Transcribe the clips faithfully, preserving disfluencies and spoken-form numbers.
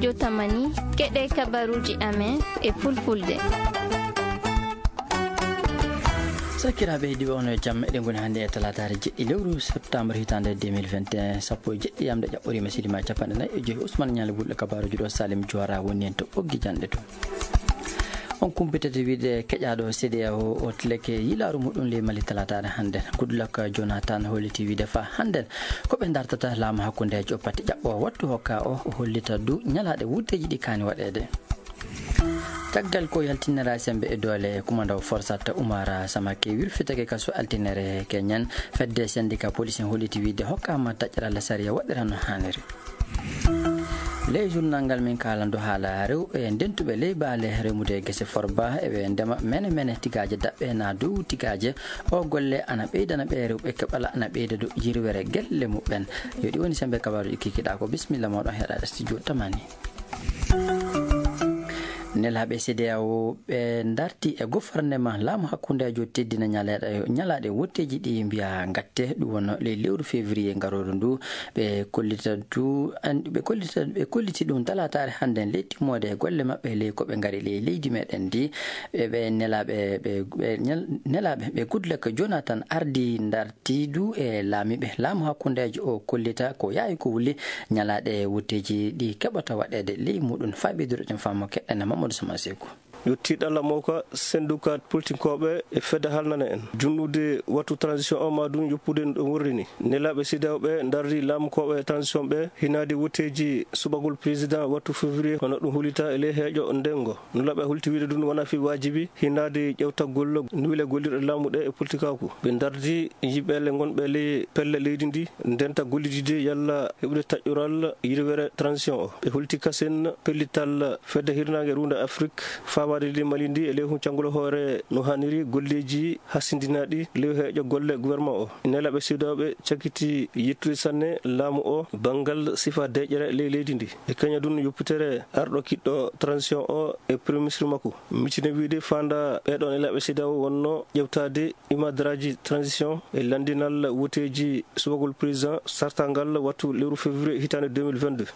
Yo tamani, keɗe kabaruuji amen e fulfulde. Sakiraaɓe heɗiiɓe, on e jam. Eɗen ngoni hannde e talaataare jeɗɗi lewru septembre hitaande deux mille vingt et un, sappo e jeɗɗi yamde ƴaɓɓoriima silimaa capanɗe nayi e joyi. Ousmane Ñaali Bulɗo kabaruuji ɗo, Salim Joora woni en to ɓoggi janɗe to. On kumpitete wiide keƴaaɗo C D A O o tileke yilaaru muɗum ley Mali talaataare hannden. Goodluck Jonathan holliti wiide faa hannden ko ɓe ndartata laamu hakkundeejo o pati ƴaɓɓo wattu hokka o, o hollita du ñalaaɗe wutteeji ɗi kaani waɗeede. Caggal ko yaltinira sembe e doole, kumandaw Forsat Umar Samake wirfitake kaso altinere keñen. Fedde sendika police en holliti wiide hokkaama taƴral sariya waɗira no haaniri. Ley journal ngal min kaalando haala rewɓe ndentuɓe ley baale remude gese forba eɓe ndema mene mene tigaaje daɓɓe na dow tigaaje. O golle ana ɓeydana ɓe rewɓe keɓala ana ɓeyda dow yirwere gelle muɓɓen. Yo ɗi woni sembe kabaruuji kikiɗa ko. Bisimilla moɗon heɗaɗe studio tamani. Nelaaɓe C D A O ɓe ndarti e gouvernement laamu hakkundeejo teddina ñaleeɗe, ñalaaɗe wotteeji ɗi mbiya ngatte, ɗum wonno ley lewru février ngarooru ndu. Ɓe kollita du, an-, ɓe kollita, ɓe kolliti ɗum talaataare hannden ley timmoode e golle maɓɓe ley ko ɓe ngari ley leydi meɗen ndi. Ɓe, ɓe nelaaɓe, ɓe, ɓe ñal-, nelaaɓe, ɓe Goodluck Jonathan ardi ndarti du e laamiiɓe laamu hakkundeejo o kollita ko yaawi ko wuli ñalaaɗe wotteeji ɗi keɓata waɗeede ley muɗum. Faaɓi duro ɗen faamu keɗɗen Mamadou Sama Seku. Yo tiiɗalla mawka sennduka politinkooɓe e fedde halnana en. Junnude wattu transition o ma ɗum yoppude no ɗum worri ni. Nelaaɓe C D A O ɓe ndardi laamukooɓe transition ɓe hinaade wotteeji suɓagol président wattu février, hono ɗum hulita e ley heeƴo ndenngo. Nulaaɓe hulti wiide ɗum wona fii waajibi hinaade ƴewtagol nuwile gollirɗe laamu ɗe e politikaaku. Ɓe ndardi yimɓe le ngonɓe ley pelle leydi ndi, ndenta gollidide yalla heɓude taƴƴural yirwere transition o. Ɓe hulti kasen pellital fedde hirnaange ruunde Afrik, fawaade leydi Mali ndi e ley huncangol hoore no haaniri golleeji hasindinaaɗi ley heeƴo golle gouvernement o. Nelaaɓe C D A O ɓe cakiti yettude sanne laamu o banngal sifa deeƴere ley leydi ndi. E kañum ɗum yoppitere arɗo kiɗɗo transition o e premier ministre makko. Mitine wiide faanda ɓeɗon nelaaɓe C D A O wonno ƴewtaade imadraaji transition e lanndinal woteeji subagol président sartangal wattu lewru février hitaande deux mille vingt-deux.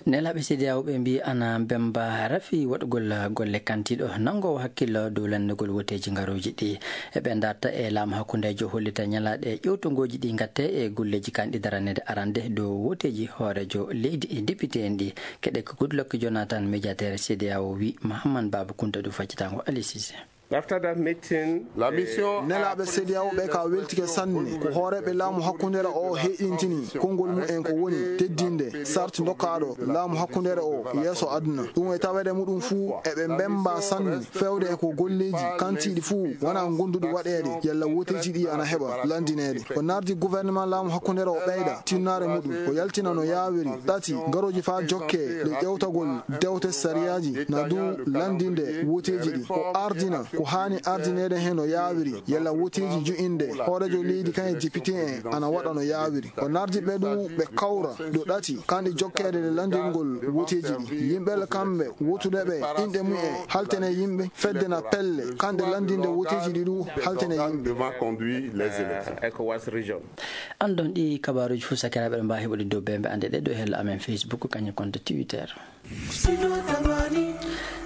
Nelaaɓe C D A O ɓe mbii ana mbemba rafi waɗugol golle kantiiɗo nanngoowo hakkillo dow lanndugol woteeji ngarooji ɗi. Eɓe ndarta e laamu hakkundeejo hollita ñalaaɗe ƴewtongooji ɗi ngatte e golleeji kanɗi daraneede arande dow woteeji hooreejo leydi e député en ɗi. Keɗe ko Goodluck Jonathan, médiateur C D A O, wi Mahamman Baaba Kunta du faccitango Ali Cissé. After that meeting, la mission, nelaaɓe C D A O ɓe ka weltike sanne ko hooreeɓe laamu hakkundeere o heɗintini konngol mumen ko woni teddinde sarti dokkaaɗo laamu hakkundeere o yeeso aduna. Ɗum e taweede muɗum fuu eɓe mbemba sanne fewde e ko golleeji kantiiɗi fuu wona gonduɗi waɗeede yalla woteeji ɗi ana heɓa lanndineede. O nardi gouvernement laamu hakkundeere o ɓeyda tinnaare muɗum, o yaltina no yaawiri. Tati, ngarooji faa jokke le ƴewtagol dewte sariyaaji na du lanndinde woteeji ɗi. O ardina ko haani ardineede heen no yaawiri, yalla woteeji ju'inde hooreejo leydi kan e député en ana waɗa no yaawiri. O nardi ɓe du ɓe kawra du ɗati kanɗi jokkeede le lanndingol woteeji ɗi. Yimɓe le kamɓe wotude ɓe inɗe mumen haltene yimɓe fedde na pelle kanɗe lanndinde woteeji ɗi du haltene yimɓe. Devant conduire les élections. ECOWAS region. Andon ɗi kabaruuji fof sakiraaɓe ɗo mbaawi heɓude dow bembe ande ɗe ɗo hella amen Facebook kañum konto Twitter.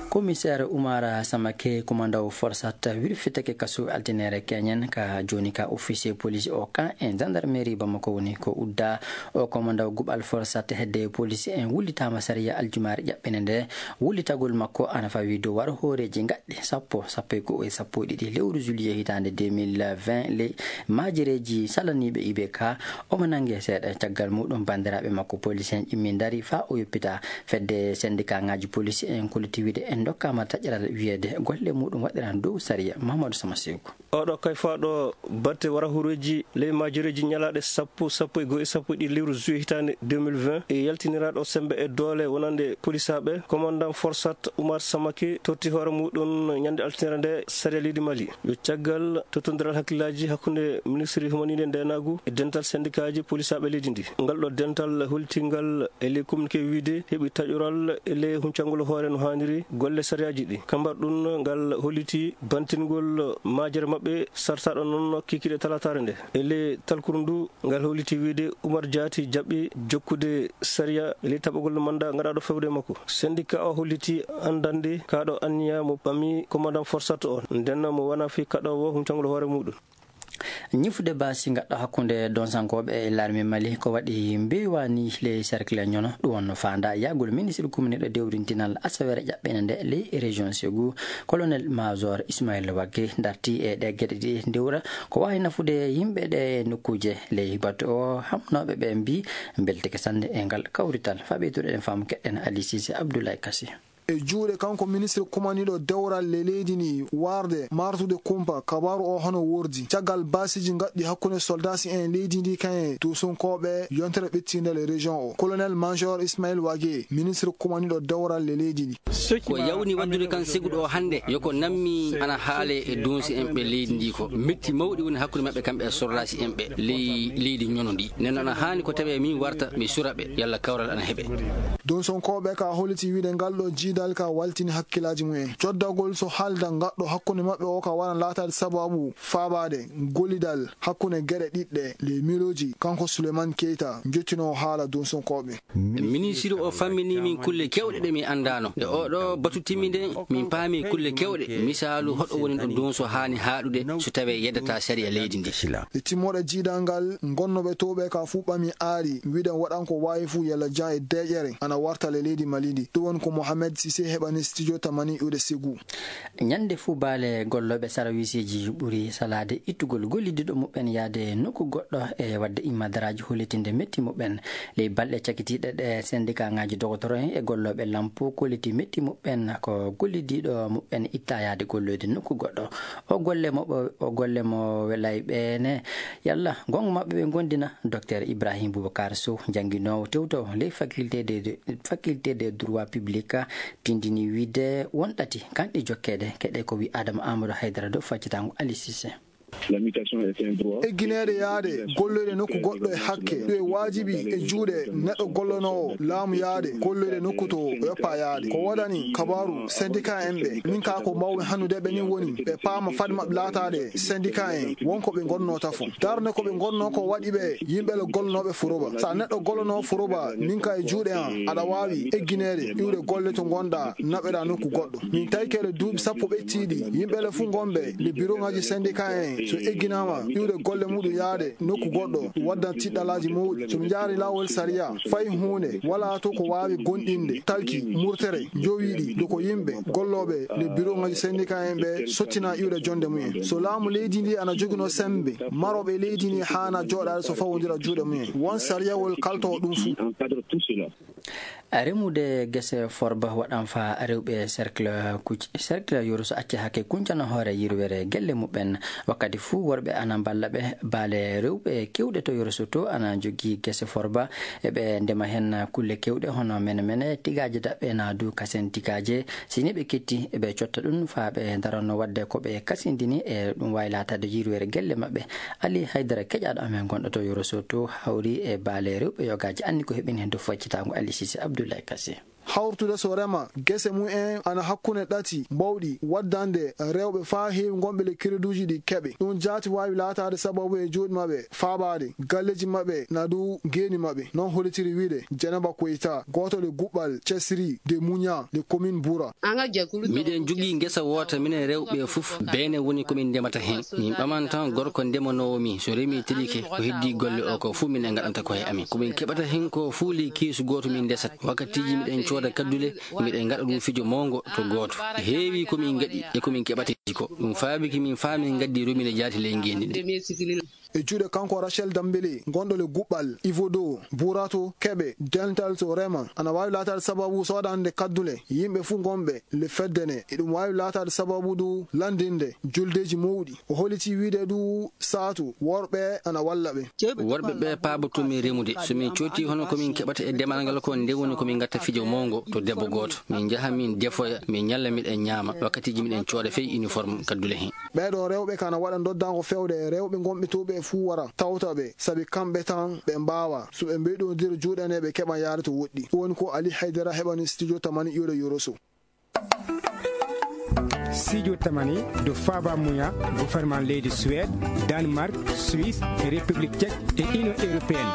Commissaire Oumar Samake, kumandaw Forsat, wirfitake kasu altinere keñen ka joni ka officier police o kan e gendarmerie Bamako woni ko udda. O kumandaw gubal Forsat hedde police en wullitama sariya aljumaare ƴaɓɓene nde. Wullitagol makko ana fawi dow waro hooreeji gaɗɗi sappo, sappo e go'o e sappo e ɗiɗi lewru juillet hitaande deux mille vingt ley maajereeji salaniiɓe I B K. Omo nannge seeɗa caggal muɗum banndiraaɓe makko police en ƴimmi ndari faa o yoppita. Fedde sendikaaŋaaji police en kolliti wiide en ndokkaama taƴral wiyeede golle muɗum waɗiran dow sariya. Mahamadou Sama Seku. Oɗo kayfaaɗo batte wara hooreeji ley maajereeji ñalaaɗe sappo, sappo e go'o e sappo e ɗiɗi lewru juillet hitaande deux mille vingt e yaltiniraaɗo sembe e doole wonande polisaaɓe, commandant Forsat Oumar Samake totti hoore muɗum ñande altinere nde sariya leydi Mali. Yo caggal tottondiral hakkillaaji hakkunde ministre humaniiɗe ndeenaagu e dental sendikaaji polisaaɓe leydi ndi. Ngal ɗo dental holtingal e ley communiqué wiide heɓi taƴoral e ley huncangol hoore no haaniri. golle sariyaaji ɗi. Kambar ɗum ngal holliti bantingol maajere maɓɓe sartaaɗo noon kikiiɗe talaataare nde. E ley talkuru ndu, ngal holliti wiyde Umar Jaati jaɓi jokkude sariya e ley taɓagol manda gaɗaaɗo fewde makko. Sendika o holliti anndande kaaɗo anniya mo ɓami commandant Forsat o, nden mo wona fii kaɗoowo huncangol hoore muɗum. Ñifude baasi gaɗɗo hakkunde donsankooɓe e larme Mali ko waɗi mbeewaani ley cercle ñono. Ɗum wonno faanda yahgol ministre kumniiɗo dewrintinal asawere ƴaɓɓene nde ley région Ségou, colonel major Ismaël Wagge darti e ɗe geɗe ɗi ndewra ko waawi nafude yimɓe ɗe nokkuuje. Ley batu o, hamnooɓe ɓe mbii mbelteke sanne e ngal kawrital. Faa ɓeyduɗen faamu keɗɗen Ali Sise Abdoulaye Kassi. E juuɗe kanko ministre kumaniiɗo dewral le leydi ndi, warde martude kumpa kabaaru o hono wordi caggal baasiiji gaɗɗi hakkunde soldasi en leydi ndi kayen tuusunkooɓe yontere ɓettiinde le région o. Colonel major Ismaël Wagé, ministre kumaniiɗo dewral le leydi ndi. Ko yawni waddude kan Ségou ɗo hannde, yo ko nammi ana haale e donsi en ɓe leydi ndi ko. Metti mawɗi woni hakkunde maɓɓe kamɓe e soldasi en ɓe ley leydi ñono ndi. Nden ana haani ko tawe min warta mi sura ɓe, yalla kawral ana heɓe. Donsonkooɓe ka holliti wiide ngal ɗo jiidal ka waltini hakkilaaji mumen. Coddagol so haalda ngaɗɗo hakkunde maɓɓe o ka wara laataade sababu faabaade gollidal hakkunde geɗe ɗiɗɗe ley miilooji, kanko Souleymane Keita, jottinoowo haala donsonkooɓe. Ministre o fammini min kulle kewɗe ɗe mi anndaano. Nde oɗo batu timmi nde, min paami kulle kewɗe. Misaalu, hoɗo woni ɗo donso haani haaɗude so tawee yeddata sariya leydi ndi. E timmoɗe jiidal ngal, ngonnooɓe towɓe ka fuu ɓami aari, wiɗen waɗan ko waawi fuu yalla jan e deeƴere ana warta le leydi Mali ndi. Ɗum woni ko Mohamed Cissé heɓani studio tamani iwde Ségou. Ñande fuu baale gollooɓe sarawisiiji ɓuri salaade ittugol gollidiiɗo muɓɓen yahde nokku goɗɗo e waɗde immadaraaji hollitinde metti muɓɓen. Ley balɗe cakitiiɗe ɗe, sendikaaŋaaji dogotoro en e gollooɓe lampu kolliti metti muɓɓen ko gollidiiɗo muɓɓen itta yahde golloyde nokku goɗɗo. O golle mo ɓo-, o golle mo welay ɓe ne, yalla goonga maɓɓe ɓe ngondina. Docteur Ibrahim Boubacar Sow, jannginoowo tewtowo ley faculté de, de, faculté de droit public, tindini wiide won ɗati kanɗi jokkeede. Keɗe ko wi Adama Amadou Haydara dow faccitaango Ali Cissé. Eggineede yaade golloyde nokku goɗɗo e hakke, ɗum e waajibi e juuɗe neɗɗo gollonoowo laamu yaade golloyde nokku to o yoppa yaade. Ko woodani kabaaru syndicat en ɓe, min kaa ko mbaawmi hannude ɓe ni woni ɓe paama fade maɓɓe laataade syndicat en, won ko ɓe ngonnoo tafo. Darnde ko ɓe ngonnoo ko waɗi ɓe yimɓe le gollonooɓe furoba. So a neɗɗo gollonoo furoba, min kaa e juuɗe an, aɗa waawi eggineede iwde golle to ngonɗaa, naɓeɗaa nokku goɗɗo. Min tawi kele duuɓi sappo ɓettiiɗi, yimɓe le fuu ngonɓe le bureau ŋaaji syndicat en, so egginaama iwde golle muɗum yaade nokku goɗɗo, ɗum waddan tiɗɗalaaji mawɗi. So mi jaari laawol sariya, fay huunde walaa to ko waawi gonɗinde, talki, murtere, jowiiɗi, do ko yimɓe gollooɓe le bureau ŋaaji syndicat en ɓe sottina iwde jonde mumen. So laamu leydi ndi ana joginoo sembe, marooɓe leydi ndi haana jooɗaade so fawondira juuɗe mumen. Won sariyawol kaltoo ɗum fuu. Remude gese forba waɗan fa rewɓe cercle kuc-, cercle yoro so acce hakke kuncana hoore yirwere gelle muɓɓen. Wakkati fuu worɓe ana mballa ɓe, baale rewɓe kewɗe to yoro so to ana jogii gese forba. Eɓe ndema hen kulle kewɗe hono mene mene, tigaaje daɓɓe na du kasen tigaaje. Si ni ɓe ketti, eɓe cotta ɗum fa ɓe daranno waɗde ko ɓe kasindini e ɗum waawi laataade yirwere gelle maɓɓe. Ali Haydara keƴaaɗo amen gonɗo to yoro so to hawri e baale rewɓe yogaaji anni ko heɓini hen dow faccitaango Ali Sise Abdoulaye Kassi. Hawrtude so rema gese mum en ana hakkunde ɗati mbawɗi waddande rewɓe faa heewi ngonɓe le crédituuji ɗi keɓe. Ɗum jaati waawi laataade sababu e juuɗe maɓɓe faabaade galleeji maɓɓe na dow geeni maɓɓe. Noon hollitiri wiide Dieynaba Koyta, gooto le guɓɓal Cesri de Muña de commune Bura. Miɗen jogii ngesa woota minen rewɓe fof, beene woni ko min ndemata heen. Min ɓaman tan gorko ndemanoowo mi, so remii tilike, ko heddii golle o ko fof minen ngaɗanta ko he amin. Ko min keɓata heen ko fof ley keesu gooto min ndesat. Wakkatiiji miɗen cooda kaddule, miɗen ngaɗa ɗum fijo mawngo to gooto. Heewi ko min ngaɗi e ko min keɓata ko. Ɗum faabiki min faa min ngaddi robinet jaati ley ngeenndi ndi. E juuɗe kanko Rachel Dambele, gonɗo le guɓɓal Ivodo, Burato, Keɓe, Dental to Rema, ana waawi laataade sababu soodande kaddule yimɓe fuu ngonɓe le fedde ne. Eɗum waawi laataade sababu du lanndinde juldeeji mawɗi. O holliti wiide du saatu worɓe ana walla ɓe. Worɓe ɓe paaboto min remude. So min cooti hono ko min keɓata e demal ngal ko, nde woni ko min ngatta fijo mawngo to debbo gooto. Min njaha min defoya, min ñalla miɗen ñaama. Wakkatiiji miɗen cooda fey uniforme kaddule heen. Ɓeeɗo rewɓe kana waɗa ndoddaango fewde e rewɓe ngonɓe to ɓe fuu wara tawta ɓe, sabi kamɓe tan ɓe mbaawa. So ɓe mbeyɗondira juuɗe ne, ɓe keɓa yaade to woɗɗi. Ɗum woni ko Ali Haydara heɓani studio tamani iwde Yoroso. Sijo tamani do faaba muya gouvernement leydi Suède, Danemark, Suisse, République Tchèque et Union Européenne.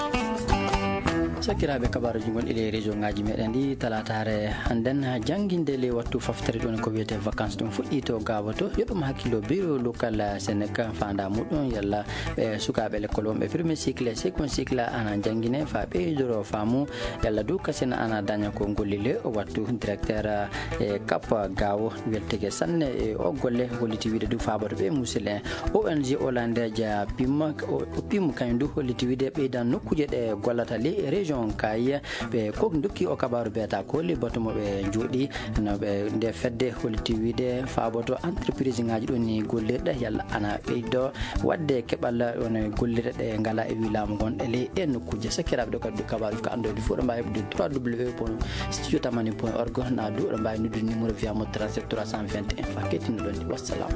Sakiraaɓe, kabaruuji gonɗi ley région ŋaaji meɗen ɗi, talataare hannden, jannginde ley wattu faftere ɗon ko wiyetee vacances ɗum fuɗɗii to Gaawo to. Yo ɗum hakkilo biro lokal Sénégal faanda muɗum yalla ɓe sukaaɓe lekkol wonɓe premier cycle e second cycle ana janngine fa ɓeydoro faamu yalla du kasina ana daña ko golli le o wattu. Directeur e Cap Gaawo weltege sanne e o golle, holliti wiide du faaboto ɓe musil en. O N G hollandeeja pim o pim kañum du holliti wiide ɓeydan nokkuuje ɗe gollata ley région kay ɓe ko dokki o kabaru beeta ko le bato mo ɓe jooɗi no ɓe nde fedde holliti wiide faaboto entreprise ŋaaji ɗon ni gollirɗe yalla ana ɓeydo wadde keɓal on gollirɗe ɗe ngala e wi laamu gonɗe ley ɗen nokkuuje. Sakiraaɓe ɗo kadi du kabaru ko anndoyde fof ɗo mbawi heɓde trois w point studio tamani point org na du ɗo mbawi noddude numéro via mo trente-sept trois cent vingt et un fa kettinno ɗon ni. Wassalam.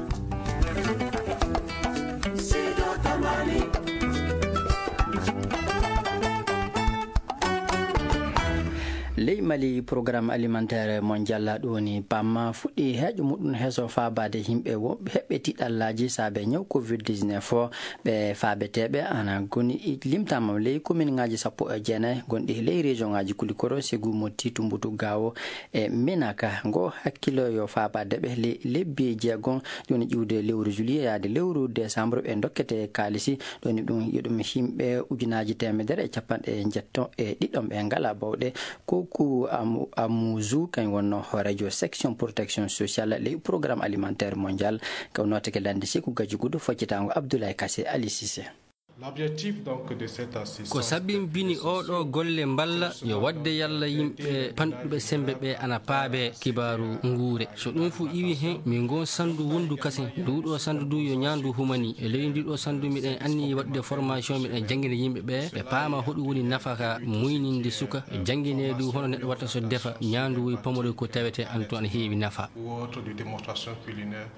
Ley Mali, programme alimentaire mondial ɗo woni pam fuɗɗi heeƴo muɗum heeso faabaade yimɓe wonɓe heɓɓe tiɗallaaji saabe ñaw covid dix-neuf o. Ɓe faabeteeɓe ana goni limtaama ley commune ŋaaji sappo e jeenayi gonɗi ley région ŋaaji Kulikoro, Segu, Motti, Tumbutu, Gaawo e Menaka. Ngo hakkilo yo faabaade ɓe ley lebbi jeegom, jooni ƴiwde lewru juillet yaade lewru décembre ɓe dokkete kaalisi. Ɗoni ɗum yo ɗum yimɓe ujunaaji teemedere e capanɗe njetto e ɗiɗon ɓe ngala bawɗe. Koku Amu- Amuzu kañ wonno hooreejo section protection sociale ley programme alimentaire mondial. Kaw nootake lande Seku Gaji Gudo, foccitaango Abdoulaye Kassé Ali Cissé. L'objectif donc de cette assistance, ko sabimbini oɗo golle mballa yo wadde yalla yimɓe panɗuɓe sembe ɓe ana paabe kibaaru nguure. So ɗum fu iwi hen, min ngon sandu wondu kasen. Nduɗo sandu du yo ñaandu humani. E ley ndiɗo sandu miɗen anni wadde formation, miɗen jangina yimɓe ɓe, ɓe paama hoɗum woni nafaka muyninde suka, jangine du hono neɗɗo watta so defa ñaandu woy pamode ko tawete an to ana heewi nafa. Ou autre de démonstration culinaire.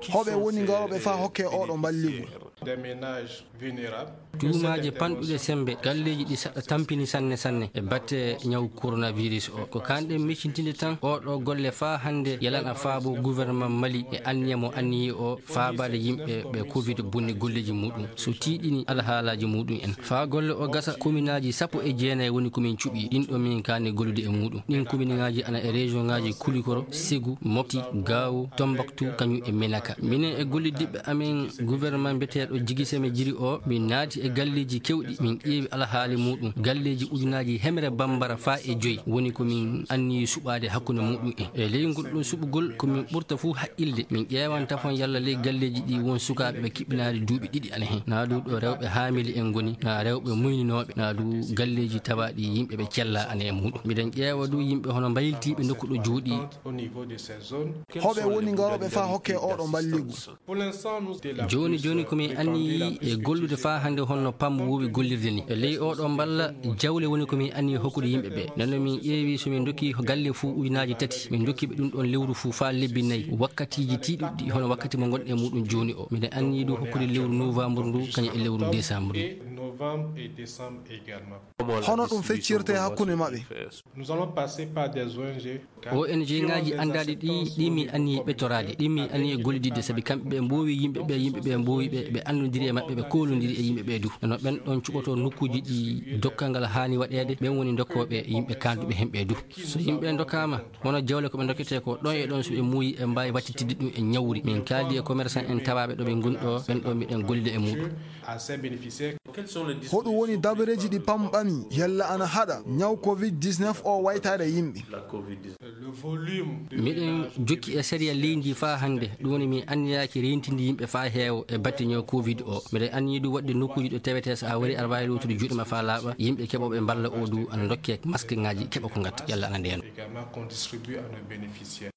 Hoɓe woni ngarooɓe faa hokke oɗo mballigu? Des ménages vulnérables. Tuumaaje panɗuɗe sembe, galleeji ɗi saɗa tampini sanne sanne e batte ñaw coronavirus o. Ko kanɗen miccintinde tan oɗo golle faa hannde yalana faabo gouvernement Mali e anniya mo anniyi o faabaade yimɓe ɓe covid bonni golleeji muɗum. So tiiɗini alhaalaaji muɗum en. Faa golle o gasa, kominaaji sappo e jeenayi woni ko min cuɓi. Ɗin ɗo min kaani gollude e muɗum. Ɗin kominaaji ana e région ŋaaji Kulikoro, Segu, Mopti, Gaawo, Tombaktu, kañum e Menaka. Minen e golliddiɓe amen gouvernement mbiyeteeɗo Jigi Seme Jiri o, min naati e galleeji kewɗi, min ƴeewi alhaali muɗum. Galleeji ujunaaji hemre bambara faa e joyi woni ko min anniyi suɓaade hakkunde muɗum en. E ley ngol ɗum suɓugol, ko min ɓurta fuu haqqilde. Min ƴeewan tafon yalla ley galleeji ɗi won sukaaɓe ɓe kiɓɓinaade duuɓi ɗiɗi ana hen. Naa du ɗo rewɓe haamili en ngoni, naa rewɓe muyninooɓe, naa du galleeji tawaaɗi yimɓe ɓe cellaa ana e muɗum. Miɗen ƴeewa du yimɓe hono mbayiltiiɓe nokku ɗo jooɗi. Au niveau de ces zones. Hoɓe woni ngarooɓe faa hokke oɗo mballigu? Jooni jooni ko min anniyi e gollude faa hannde honno pam woowi gollirde ni. E ley oɗo mballa jawle woni ko min anniyi hokkude yimɓe ɓe. Nden no min ƴeewi so min ndokki galle fuu ujunaaji tati, min ndokki ɓe ɗum ɗon lewru fuu faa lebbi nayi. Wakkatiiji tiiɗuɗi hono wakkati mo ngonɗen e muɗum jooni o. Miɗen anniyi du hokkude lewru novembre ndu kañum e lewru décembre. Et novembre et décembre également. Hono ɗum feccirte hakkunde maɓɓe? Nous allons passer par des O N G. O N G ŋaaji anndaaɗi ɗi, ɗi mi anniyi ɓettoraade, ɗi mi anniyi gollididde, sabi kamɓe ɓe mboowi yimɓe ɓe, yimɓe ɓe mboowi ɓe, ɓe anndondiri e maɓɓe, ɓe koolondiri e yimɓe ɓe du. No ɓen ɗon cuɓotoo nokkuuji ɗi dokkal ngal haani waɗeede, ɓen woni dokkooɓe yimɓe kaanduɓe heen ɓe du. So yimɓe ndokkaama, hono jawle ko ɓe ndokketee ko, ɗon e ɗon so ɓe muuyi, ɓe mbaawi wattitidde ɗum e ñawri. Min kaaldi e commerçant en tawaaɓe ɗo ɓe ngoni ɗo, ɓen ɗo miɗen gollida e muɗum. Hoɗum woni dabareeji ɗi pam ɓami yalla ana haɗa ñaw covid dix-neuf o waytaade yimɓe? Miɗen jokki e sariya leydi ndi faa hannde, ɗum woni min anniyaaki reentinde yimɓe faa heewa e batte ñaw covid o. Miɗen anniyi du waɗde nokkuuji ɗo tawetee so a warii aɗa waawi loowtude juuɗe ma faa laaɓa, yimɓe keɓooɓe mballa o du ana ndokkee maskeŋaaji keɓa ko ngatta yalla ana ndeeno.